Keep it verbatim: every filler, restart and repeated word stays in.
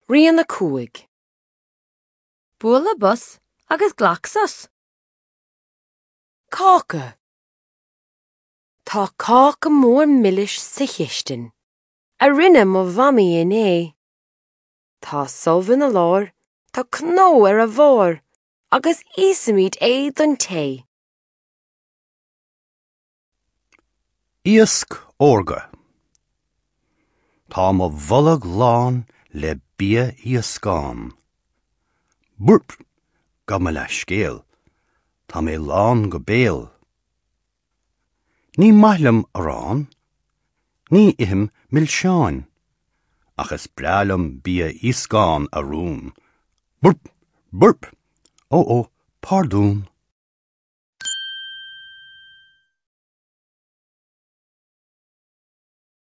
Rian a cúig. Buail le bos agus glac sos. Cáca. Tá cáca mór milis sa chistin, a rinne mo mhamaí inné. Tá subh ina lár, tá cnó ar a bharr, agus íosfaimid é don tae. Iasc órga. Tá mo bholg lán le bia iascán. Burp, gabh mo leithscéal, Tá mé lán go béal. Ní maith liom arán, ní ithim milseáin, ach is breá liom bia iascán a rún. Burp, burp, ó ó, pardún.